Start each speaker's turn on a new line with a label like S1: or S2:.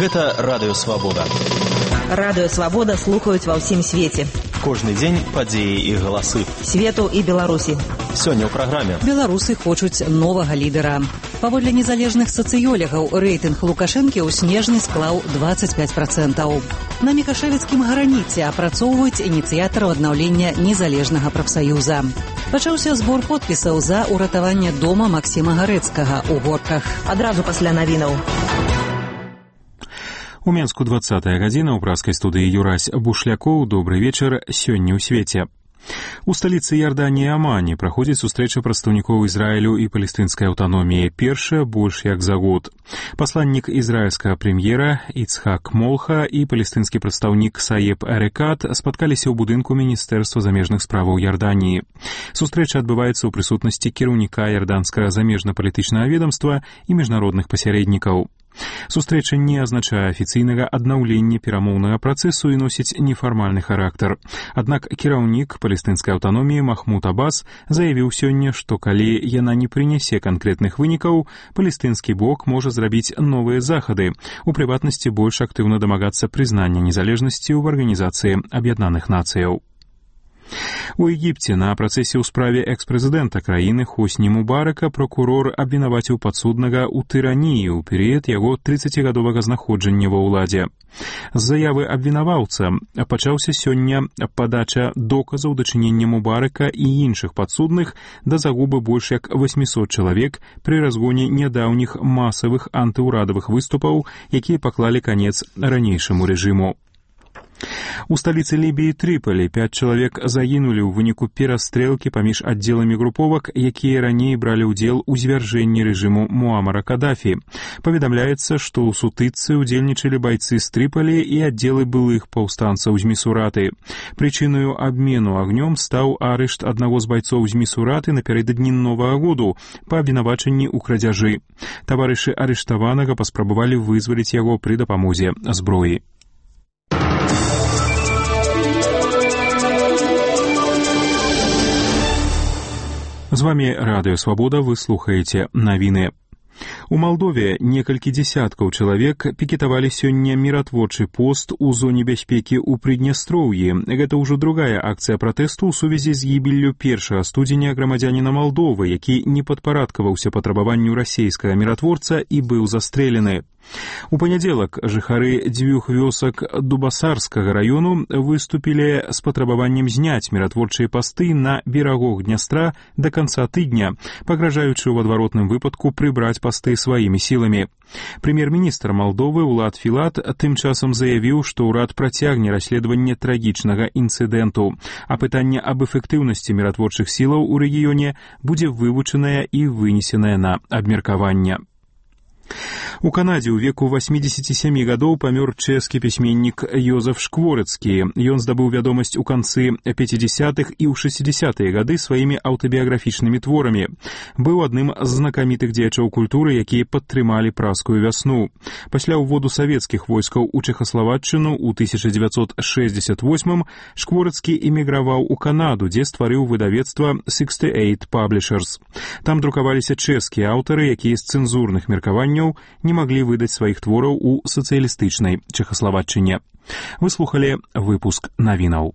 S1: Гэта Радыё Свабода.
S2: Радыё Свабода слухаюць ва ўсім свеце.
S1: Кожны дзень падзеі і галасы.
S2: Свету і Беларусі.
S1: Сёння ў праграме.
S3: Беларусы хочуць новага лідара. Паводле незалежных сацыёлегаў, рэйтынг Лукашэнкі ў снежні склаў 25%. На Мікашэвіцкім граніце апрацоўваюць ініцыятараў аднаўлення незалежнага прафсаюза. Пачаўся збор подпісаў за ўратаванне дома Максіма Гарэцкага ў Горках.
S2: Адразу пасля навінаў.
S4: У Менску 20-я гадзіна, ў праскай студыі Юрась Бушлякоў. Добры вечар, сёння ў свеце. У сталіцы Іорданіі Амане праходзіць сустрэча прадстаўнікоў Ізраілю і палестынскай аўтаноміі. Першая больш як за год. Пасланнік ізраільскага прэм'ера Іцхак Молха і палестынскі прадстаўнік Саеб Эрекат спаткаліся ў будынку Міністэрства замежных справаў Іорданіі. Сустрэча адбываецца ў прысутнасці кіраўніка іорданскага замежна-палітычнага ведамства і міжнародных пасярэднікаў. Сустрэча не азначае афіцыйнага аднаўлення перамоўнага працэсу і носіць нефармальны характар. Аднак кіраўнік палестынскай аўтаноміі Махмуд Аббас заявіў сёння, што калі яна не прынясе канкрэтных вынікаў, палестынскі бок можа зрабіць новыя захады, у прыватнасці больш актыўна дамагацца прызнання незалежнасці ў Арганізацыі Аб'яднаных Нацыяў. У Егіпце на працэсе ў справе экс-прэзідэнта краіны Хосні Мубарака пракурор абвінаваціў падсуднага ў тыраніі ў перыяд яго 30-гадовага знаходжання ва ўладзе. З заявы абвінаваўца пачаўся сёння падача доказаў дачынення Мубарака і іншых падсудных да загубы больш як 800 чалавек пры разгоне нядаўніх масавых антыўрадавых выступаў, якія паклалі канец ранейшаму рэжыму. У сталіцы Лібіі Трыполі 5 чалавек загінулі ў выніку перастрэлкі паміж аддзеламі груповак, якія раней бралі ўдзел у звяржэнні рэжыму Муамара Кадафі. Паведамляецца, што ў сутычцы ўдзельнічалі байцы з Трыполі і аддзелы былых паўстанцаў з Місураты. Прычынаю абмену агнём стаў арышт аднаго з байцоў з Місураты напярэдадні Новага году па абвінавачанні ў крадзяжы. Таварышы арыштаванага паспрабавалі вызваліць яго пры дапамозе зброі. З вами Радыё Свабода, вы слухаеце навіны. У Малдове некалькі дзесяткаў чалавек пікетавалі сёння міратворчы пост у зоне бяспекі ў Прыднястроўі. Гэта ўжо другая акцыя пратэсту ў сувязі з гібеллю 1 студзеня грамадзяніна Малдовы, які не падпарадкаваўся патрабаванню расейскага міратворца і быў застрэлены. У панядзелак жыхары 2 вёсак Дубасарскага раёну выступілі з патрабаваннем зняць міратворчыя пасты на берагах Днястра да канца тыдня, пагражаючы ў адваротным выпадку прыбраць пасты сваімі сіламі. Прэм'ер-міністр Малдовы Улад Філат тым часам заявіў, што ўрад працягне расследаванне трагічнага інцыдэнту, а пытанне аб эфектыўнасці міратворчых сілаў у рэгіёне будзе вывучанае і вынесенае на абмеркаванне. У Канадзе ў веку 87 гадоў памёр чэшскі пісьменнік Йозеф Шкворыцкі. Ён здабыў вядомасць у канцы 50-х і ў 60-е гады сваімі аўтабіяграфічнымі творамі. Быў адным з знакамітых дзеячоў культуры, якія падтрымалі празскую вясну. Пасля ўводу савецкіх войскаў у Чэхаславаччыну ў 1968-м Шкворыцкі эміграваў у Канаду, дзе стварыў выдавецтва 68 Publishers. Там друкаваліся чэшскія аўтары, якія з цэнзурных меркаванняў не маглі выдаць сваіх твораў у сацыялістычнай Чэхаславаччыне. Вы слухалі выпуск навінаў.